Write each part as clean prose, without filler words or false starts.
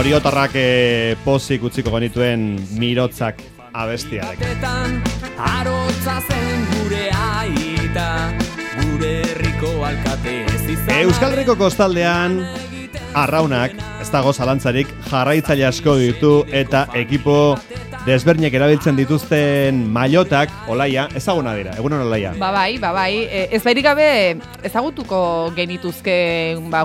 oriotarrak pozik utziko genituen mirotzak abestiarekin. Arotza zen gure aita, gure herriko alkate ez izan. Euskal Herriko kostaldean arraunak, ez dago zalantzarik, jarraitzaile asko ditu eta ekipo desberdinek erabiltzen dituzten mailotak, Olaia, ezaguna dira, egunon Olaia. Bai, ez bairik gabe ezagutuko genituzke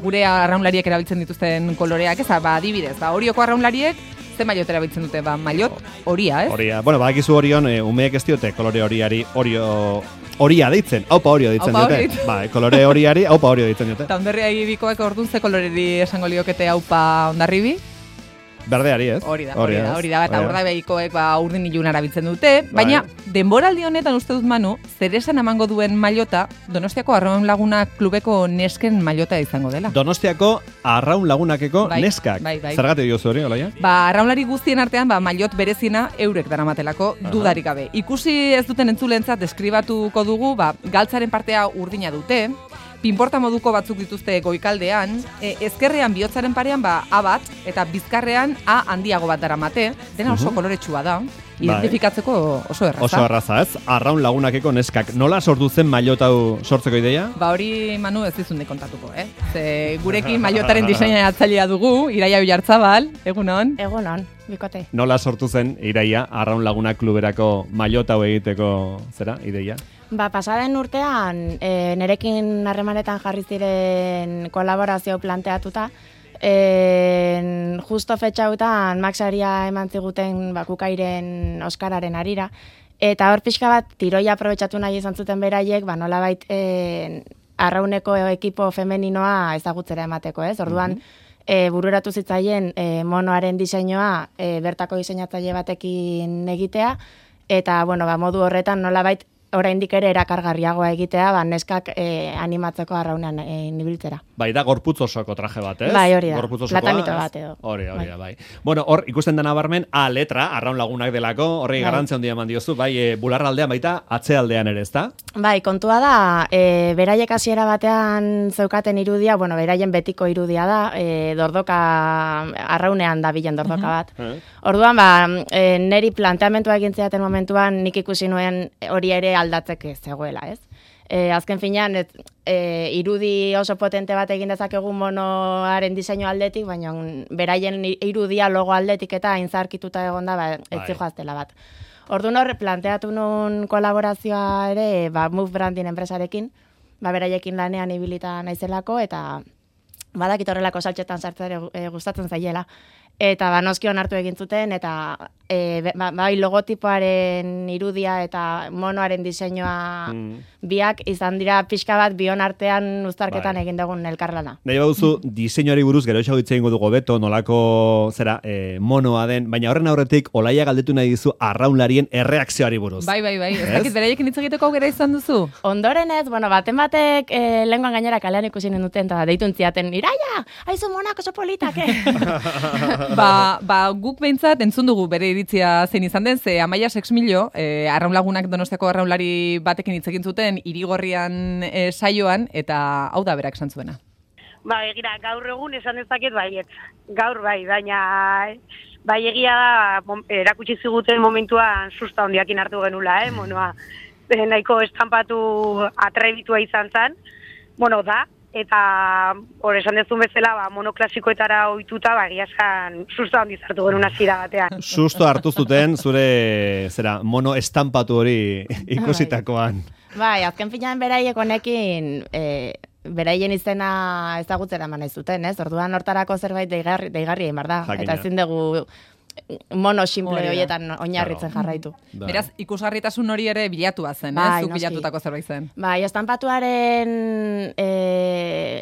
gure arraunlariek erabiltzen dituzten koloreak, adibidez, Orioko arraunlariek ze maillot erabiltzen dute, maillot horia, ez? Horia, badakizu Orion, umeek ez diote kolore horiari horia deitzen, aupa horio deitzen dute. Kolore horiari aupa horio deitzen dute. Eta Hondarribi bikoek orduan ze koloreri esango liokete aupa Hondarribi? Berdeari, ez? Hori da, eta Urdaibaikoek urdin ilun erabiltzen dute, baina denboraldi honetan uste dut Manu, zer esan emango duen maillota Donostiako Arraun Lagunak klubeko nesken maillota izango dela. Donostiako Arraun Lagunakeko neskak. Zergatik diozu hori, Olaia? Arraunlari guztien artean maillot bereziena eurek daramatelako dudarik gabe. Ikusi ez duten entzulentzat deskribatuko dugu, galtzaren partea urdina dute, pinporta moduko batzuk dituzte goikaldean, ezkerrean bihotzaren parean A bat, eta bizkarrean A handiago bat daramate, dena oso koloretsua da, identifikatzeko oso erraza. Oso erraza, ez? Arraun Lagunakeko neskak. Nola sortu zen maillot hau sortzeko ideia? Hori, Manu, ez dizunde kontatuko, Ze gurekin maillotaren diseinatzailea dugu, Iraia Oiartzabal, egunon? Egunon, bikote. Nola sortu zen Iraia Arraun Lagunak kluberako maillot hau egiteko ideia? Pasaden urtean, nerekin harremanetan jarri ziren kolaborazio planteatuta, justo fetxautan Maxaria eman ziguten Kukairen Oskararen harira, eta hor pixka bat tiroia aprobetxatu nahi izan zuten beraiek, nolabait arrauneko ekipo femeninoa ezagutzera emateko, ez? Orduan, bururatu zitzaien monoaren diseinua bertako diseinatzaile batekin egitea, eta modu horretan nolabait oraindik ere erakargarriagoa egitea, neskak animatzeko arraunean ibiltzera. Da gorputz osoko traje bat, ez? Bai, hori da. Platamito bat edo. Hori da, bai. Bueno, hor ikusten dena barmen A letra, Arraun Lagunak delako, horri garrantzia handia eman diozu, bularraldean baita atzealdean ere, ezta? Kontua da, beraiek hasiera batean zeukaten irudia, beraien betiko irudia da, dordoka, arraunean da bilen dordoka bat. Orduan, neri planteamentua egin zidaten momentuan, nik ikusi nuen hori ere aldatzeke zegoela, ez? Azken finean, irudi oso potente bat egin dezakegu monoaren diseinu aldetik, baina beraien irudia logo aldetik eta inzarkituta egon da, ez zijoaztela bat. Orduan hor, planteatu nun kolaborazioa ere, Move Branding enpresarekin, beraiekin lanean ibilita naizelako, eta badakit horrelako saltxetan sartzen gustatzen zaiela. Eta noskion hartu egin zuten, eta logotipoaren irudia eta monoaren diseinua biak izan dira pixka bat bion artean uztarketan egin dugun elkarlana. Nahi baduzu, diseinuari buruz gero esago hitz egingo dugu beto, nolako monoa den, baina horren aurretik Olaia galdetu nahi dizu arraunlarien erreakzioari buruz. Bai. Ez dakit beraiekin hitz egiteko aukera izan duzu? Ondoren ez, baten batek lenguan gainera kalean ikusi duten, eta deitu entziaten, Iraia, haizu monak oso politak, guk behintzat entzun dugu bere iritzia zein izan den, ze Amaia Sexmillo, Arraun Lagunak Donostiako arraunlari batekin hitz egin zuten Irigorrian saioan, eta hau da berak esan zuena. Egira, gaur egun esan dezaket baiet. Gaur baina egia da erakutsi ziguten momentuan susta hondiakin hartu genula, monoa. Nahiko estampatu atrebitua izan zen, da, eta hor esan dezun bezala monoklasikoetara ohituta egia esan susto handiz hartu genuen hasiera batean. Susto hartu zuten zure mono estampatu hori ikusitakoan. Azken finean beraiek honekin beraien izena ezagutzera eman nahi zuten, ez? Orduan hortarako zerbait deigarri egin behar da. Eta ezin dugu mono simple horietan oinarritzen jarraitu. Beraz, ikusgarritasun hori ere bilatua zen, zuk bilatutako zerbait zen. Estampatuaren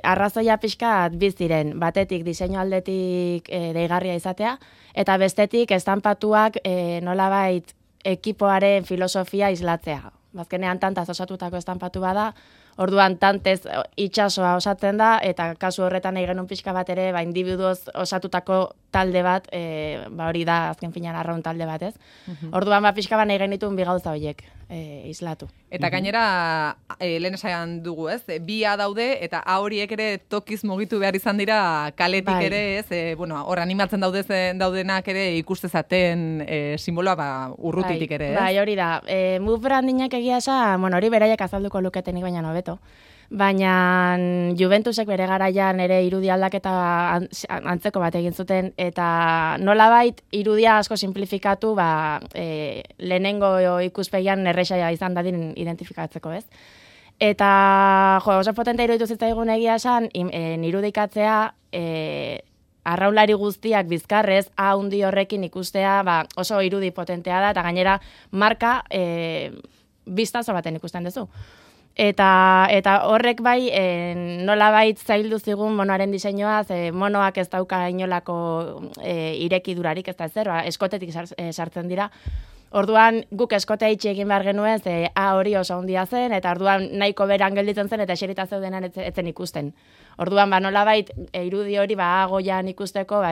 arrazoia pixkat biziren, batetik diseinu aldetik deigarria izatea, eta bestetik estampatuak nolabait ekipoaren filosofia islatzea. Bazkenean tantaz osatutako estampatu bada, orduan tantez itxasoa osatzen da, eta kasu horretan nahi genuen pixka bat ere, individuoz osatutako talde bat, hori da azken finean arraun talde bat, ez? Orduan pixka bat nahi genituen bi gauza horiek. islatu. Eta gainera, lehen esan dugu, ez? Bia daude, eta horiek ere tokiz mugitu behar izan dira kaletik Bai. ere, ez? Hor animatzen daudenak ere ikustezaten simboloa urrutitik ere, ez? Bai, hori da. Move brandinak egia esan, hori beraiek azalduko luketenik baina hobeto. Baina Juventusek bere garaian ere irudi aldaketa antzeko bat egin zuten, eta nolabait irudia asko simplifikatu, lehenengo ikuspegian erresa izan dadin identifikatzeko, ez? Eta, oso potente iruditu zitzaigun egia esan, irudikatzea, arraunlari guztiak bizkarrez, handi horrekin ikustea, oso irudi potentea da, eta gainera marka biztazo baten ikusten duzu. Eta horrek bai, nolabait zaildu zigun monoaren diseinua, monoak ez dauka inolako irekidurarik, ez da ezer, eskotetik sartzen dira. Orduan guk eskotea itxi egin behar genuen, hori oso handia zen, eta orduan nahiko beran gelditzen zen, eta eserita zeudenan etzen ikusten. Orduan, nolabait, irudi hori goian ikusteko,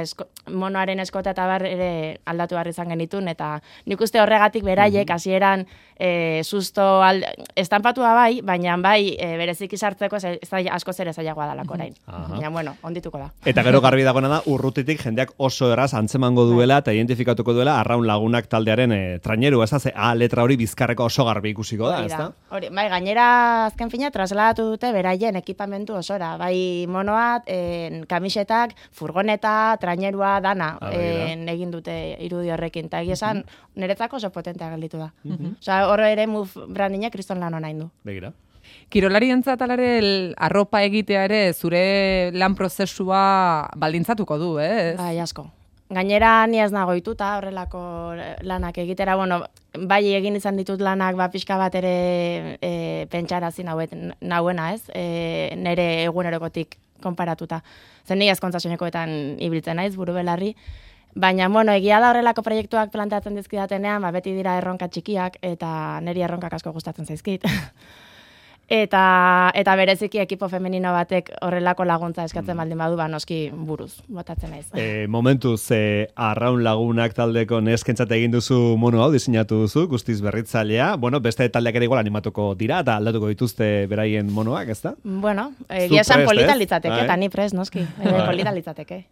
monoaren eskota eta ere aldatu behar izan genitun, eta nik uste horregatik beraiek, hasieran susto estampatua bai, baina bai bereziki sartzeko asko zer ezaiagoa dalako orain. Baina, ondituko da. Eta gero garbi dagoena da, urrutitik jendeak oso eraz antzemango duela eta identifikatuko duela Arraun Lagunak taldearen traineru, ez da, letra hori bizkarreko oso garbi ikusiko da, ez da? Hori, bai, gainera azken fina trasladatu dute beraien ekipamentu osora, bai monoat, kamisetak, furgoneta, trainerua, dana egin dute irudi horrekin, eta esan niretzako oso potentea gelditu da. Osa, horre ere Move brandinak kriston lan hona indu. Begira. Kirolarientzat alare arropa egitea ere zure lan prozesua baldintzatuko du, ez? Bai, asko. Gainera ni ez nagoituta horrelako lanak egitera, bai egin izan ditut lanak pixka bat ere pentsarazi nauena, ez? Nere egunerokotik konparatuta. Zen ni ezkontza soinekoetan ibiltzen naiz, buru belarri. Baina, egia da horrelako proiektuak planteatzen dizkidatenean, beti dira erronka txikiak, eta niri erronkak asko gustatzen zaizkit. Eta bereziki ekipo femenino batek horrelako laguntza eskatzen baldin badu, noski buruz, botatzen naiz. Momentuz, Arraun Lagunak taldeko neskentzat egin duzu mono hau, diseinatu duzu, guztiz berritzailea. Beste taldeak ere igual animatuko dira, eta aldatuko dituzte beraien monoak, ez da? Egia esan polita litzateke, eta ni prest, noski. Polita litzateke.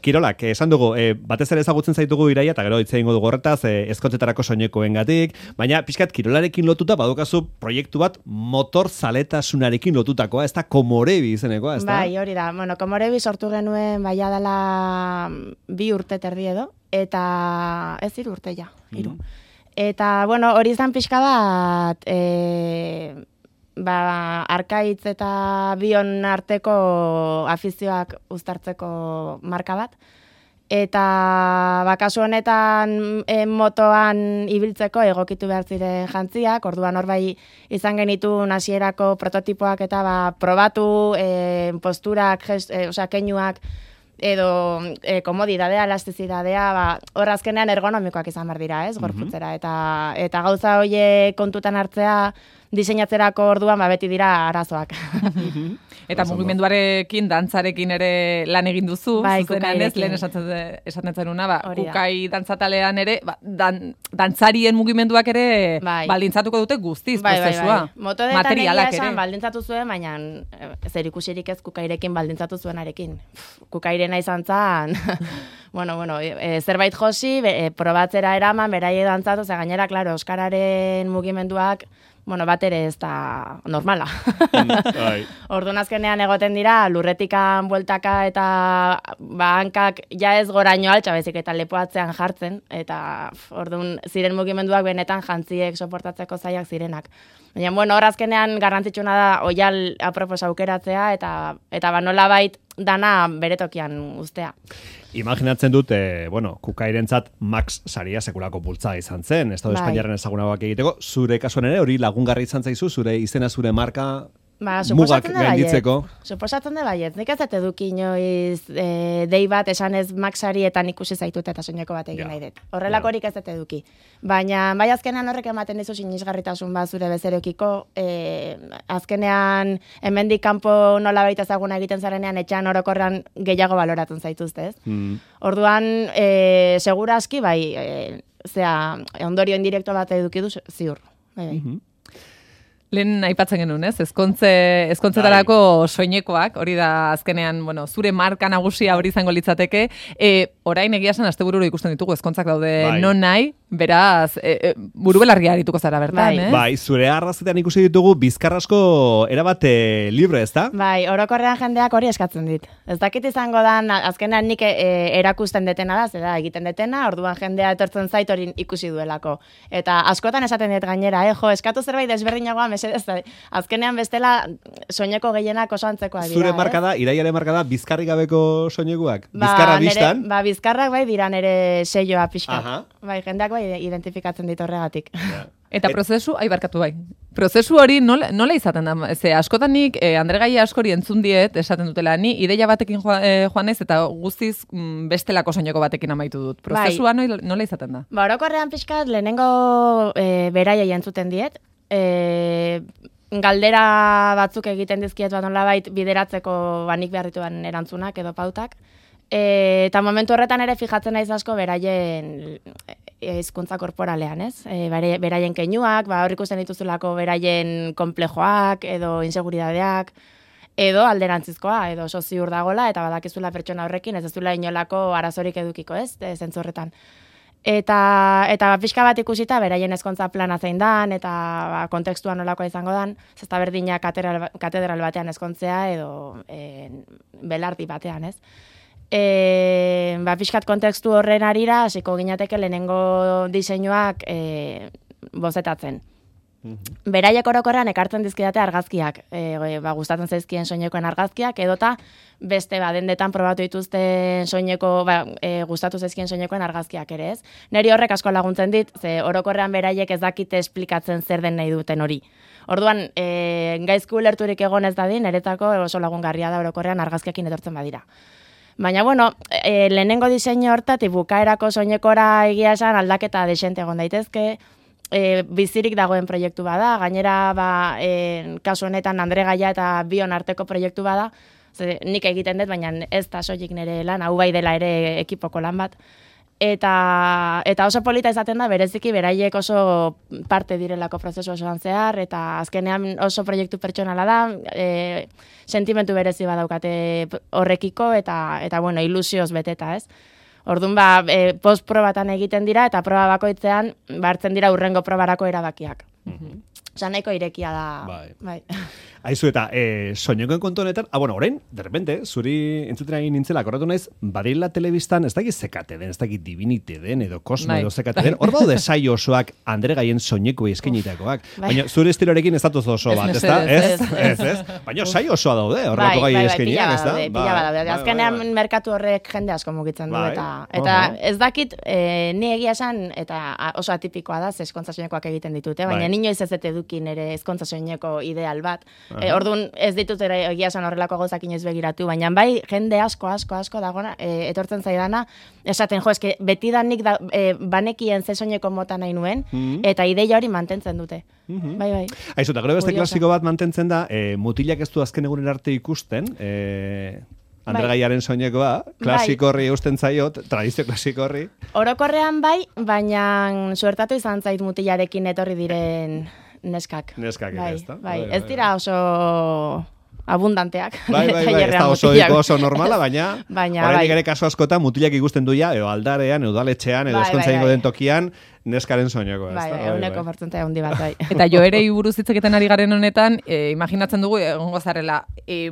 Kirolak, esan dugu, batez ere ezagutzen zaitugu Iraia, eta gero hitz egingo dugu horretaz, ezkontzetarako soinekoengatik, baina pixkat kirolarekin lotuta badukazu proiektu bat motor zaletasunarekin lotutakoa, ez da Komorebi izenekoa, ez da? Bai, hori da. Komorebi sortu genuen baia dela 2 urte terdi edo, eta ez 3 urte ja, 3. Eta, hori izan pixka bat, Arkaitz eta Bion arteko afizioak uztartzeko marka bat. Eta kasu honetan motoan ibiltzeko egokitu behar ziren jantziak, orduan hor bai izan genitun hasierako prototipoak eta probatu posturak, keinuak edo komodidadea, elastizidadea, hor azkenean ergonomikoak izan behar dira, ez, gorputzera. Eta gauza hoie kontutan hartzea diseinatzerako orduan beti dira arazoak. Eta mugimenduarekin, dantzarekin ere lan egin duzu, zuzenean ez, lehen esaten zenuna, kukai dantzatalean ere, dantzarien mugimenduak ere baldintzatuko dute guztiz prozesua. Motodetan egia esan baldintzatu zuen, baina zer ikusirik ez kukairekin baldintzatu zuenarekin. Kukairena izan zan, zerbait josi, probatzera eraman, beraie dantzatu, ze gainera, klaro, euskararen mugimenduak, bat ere ez da normala. Orduan azkenean egoten dira, lurretikan bueltaka eta hankak ja ez goraino altxa bezik eta lepoatzean jartzen, eta orduan ziren mugimenduak benetan jantziek soportatzeko zaiak zirenak. Baina, hor azkenean garrantzitsuna da oial apropos aukeratzea eta nolabait dana beretokian uztea. Imaginatzen dut, kukairentzat Max saria sekulako bultza izan zen, Estado Espainiaren ezagunagoak egiteko, zure kasuan ere hori lagungarri izan zaizu, zure izena, zure marka mugak gainditzeko. Suposatzen da baiet, nik ez dut eduki inoiz dei bat esanez Maxarietan ikusi zaitut eta soineko bat egin nahi dut. Horrelakorik ez dut eduki. Baina bai azkenean horrek ematen dizu sinisgarritasun bat zure bezerekiko, azkenean hemendik kanpo nolabait ezaguna egiten zarenean etxean orokorrean gehiago baloratzen zaituzte, ez? Orduan, segura aski bai, ondorio indirekto bat eduki du ziur. bai. Lehen aipatzen genuen, ez? Ezkontzetarako soinekoak, hori da azkenean, bueno, zure marka nagusia hori izango litzateke. Orain egia esan astebururo ikusten ditugu ezkontzak daude non nahi, beraz, buru belarria arituko zara bertan, eh? Bai, zure arrazetan ikusi ditugu bizkarrasko erabate libre, ez da? Bai, orokorrean jendeak hori eskatzen dit. Ez dakit izango dan, azkenean nik erakusten detena da, zera egiten detena, orduan jendea etortzen zait hori ikusi duelako. Eta askotan esaten dit gainera, eskatu zerbait desberdinagoa, mesedez, azkenean bestela soineko gehienak oso antzekoa dira. Zure marka da, iraiaren marka da, bizkarrik gabeko soinekoak? Bizkarra biztan? Bizkarrak bai dira nere seioa pixka. Bai, jendeak bai identifikatzen dit horregatik. Eta prozesu, barkatu bai. Prozesu hori nola izaten da? Ze askotan nik Andre Gaia askori entzun diet, esaten dutela, ni ideia batekin joan naiz eta guztiz bestelako soineko batekin amaitu dut. Prozesua nola izaten da? Orokorrean pixkat lehenengo beraiei entzuten diet. Galdera batzuk egiten dizkiet bat nolabait bideratzeko banik beharrituan erantzunak edo pautak. Eta momentu horretan ere fijatzen naiz asko beraien hizkuntza korporalean, ez? Beraien keinuak, hor ikusten dituzulako beraien komplejoak edo inseguridadeak, edo alderantzizkoa, edo oso ziur dagola, eta badakizula pertsona horrekin ez duela inolako arazorik edukiko, ez? Zentzu horretan. Eta pixka bat ikusita, beraien ezkontza plana zein dan, eta kontekstua nolakoa izango dan, zesta berdina katedral batean ezkontzea, edo belardi batean, ez? Pixkat kontekstu horren arira, hasiko ginateke lehenengo diseinuak bozetatzen. Beraiek orokorrean ekartzen dizkidate argazkiak, gustatzen zaizkien soinekoen argazkiak, edota beste dendetan probatu dituzten soineko, gustatu zaizkien soinekoen argazkiak ere, ez? Neri horrek asko laguntzen dit, ze orokorrean beraiek ez dakite esplikatzen zer den nahi duten hori. Orduan, gaizku ulerturik egon ez dadin, niretzako oso lagungarria da orokorrean argazkiakin etortzen badira. Baina, bueno, lehenengo diseinu hortatik bukaerako soinekora egia esan aldaketa desente egon daitezke, bizirik dagoen proiektu bada, gainera kasu honetan Andre Gaia eta bion arteko proiektu bada, nik egiten dut, baina ez da soilik nire lan, hau bai dela ere ekipoko lan bat. Eta oso polita izaten da, bereziki beraiek oso parte direlako prozesu osoan zehar, eta azkenean oso proiektu pertsonala da, sentimentu berezi badaukate horrekiko, eta bueno, ilusioz beteta, ez? Orduan, postprobatan egiten dira, eta proba bakoitzean, hartzen dira urrengo probarako erabakiak. Osa, nahiko irekia da. Bai. Aizu eta soinekoen kontu honetan, bueno, orain, de repente, zuri entzuten egin nintzela, korratu naiz, badila telebistan, ez dakit zekate den, ez dakit divinite den, edo kosmo edo zekate den, hor baude saio osoak Andre Gaien soineko eskenitakoak. Baina zure estilorekin ez datuz oso bat, ez da? Ez. Baina saio osoa daude, horrelako gai eskeniak, ez da? Pila badaude. Azkenean merkatu horrek jende asko mugitzen du, eta ez dakit, ni egia esan, eta oso atipikoa da, ezkontza soinekoak egiten ditute, baina inoiz ez edukin ere ezkontza soineko ideal bat. Orduan ez ditut egia esan horrelako gauzak inoiz begiratu, baina bai jende asko dagona etortzen zaidana, esaten eske betidanik banekien ze soineko mota nahi nuen, eta ideia hori mantentzen dute. Bai. Aizu, eta gero beste klasiko bat mantentzen da, mutilak ez du azken egunen arte ikusten, Andre Gaiaren soinekoa, klasiko horri eusten zaio, tradizio klasiko horri. Orokorrean bai, baina suertatu izan zait mutilarekin etorri diren neskak. Neskak, ez da? Bai, ez dira oso abundanteak. Bai, ez da oso normala, baina oraindik ere kasu askotan mutilak ikusten duia, edo aldarean, edo udaletxean, edo eskontza ingo den tokian, neskaren soinekoa, ez da? Bai, 100% handi bat, bai. Eta joerei buruz hitz egiten ari garen honetan, imaginatzen dugu egongo zarela,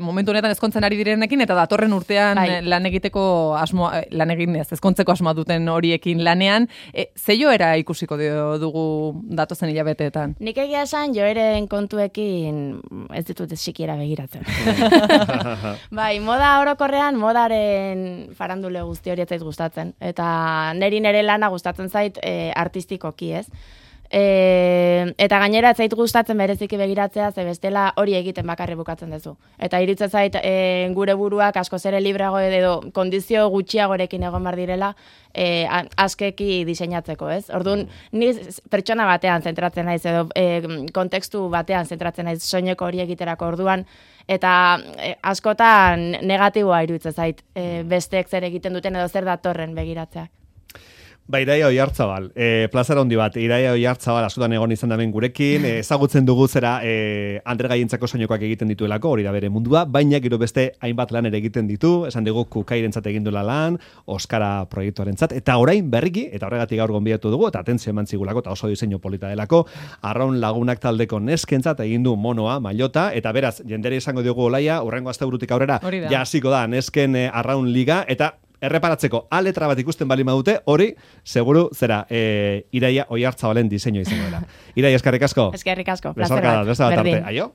momentu honetan ezkontzen ari direnekin, eta datorren urtean lan egiteko asmoa, lan egin ez, ezkontzeko asmoa duten horiekin lanean, ze joera ikusiko dugu datozen hilabeteetan? Nik egia esan joeren kontuekin ez ditut sikiera begiratzen. Bai, moda orokorrean, modaren farandule guzti hori ez zait gustatzen. Eta nire lana gustatzen zait artistikoki, ez? Eta gainera ez zait gustatzen bereziki begiratzea, ze bestela hori egiten bakarri bukatzen duzu. Eta iruditzen zait gure buruak askoz ere libreago edo kondizio gutxiagorekin egon bar direla askeki diseinatzeko, ez? Orduan, ni pertsona batean zentratzen naiz edo kontekstu batean zentratzen naiz soineko hori egiterako orduan, eta askotan negatiboa iruditzen zait besteek zer egiten duten edo zer datorren begiratzeak. Ba, Iraia Oiartzabal, plazara handi bat, Iraia Oiartzabal askotan egon izan damen gurekin, ezagutzen dugu zera Andre Gaientzako soinukoak egiten dituelako, hori da bere mundua, baina gero beste hainbat lan ere egiten ditu, esan dugu Kukairentzat egin duela lan, Oskara proiektuarentzat, eta orain berriki, eta horregatik gaur gonbidatu dugu, eta atentzio eman zigulako, eta oso diseinu polita delako, Arraun Lagunak taldeko neskentzat egin du monoa, mailota, eta beraz, jendere izango dugu Olaia, urrengo asteburutik aurrera, ja hasiko da, nesken Arraun Liga, eta erreparatzeko A letra bat ikusten bali madute, hori, seguru, zera, Iraia Oiartzabalen diseinua izango dela. Iraia, eskerrik asko. Eskerrik asko, plazer bat. Berdin. Aio?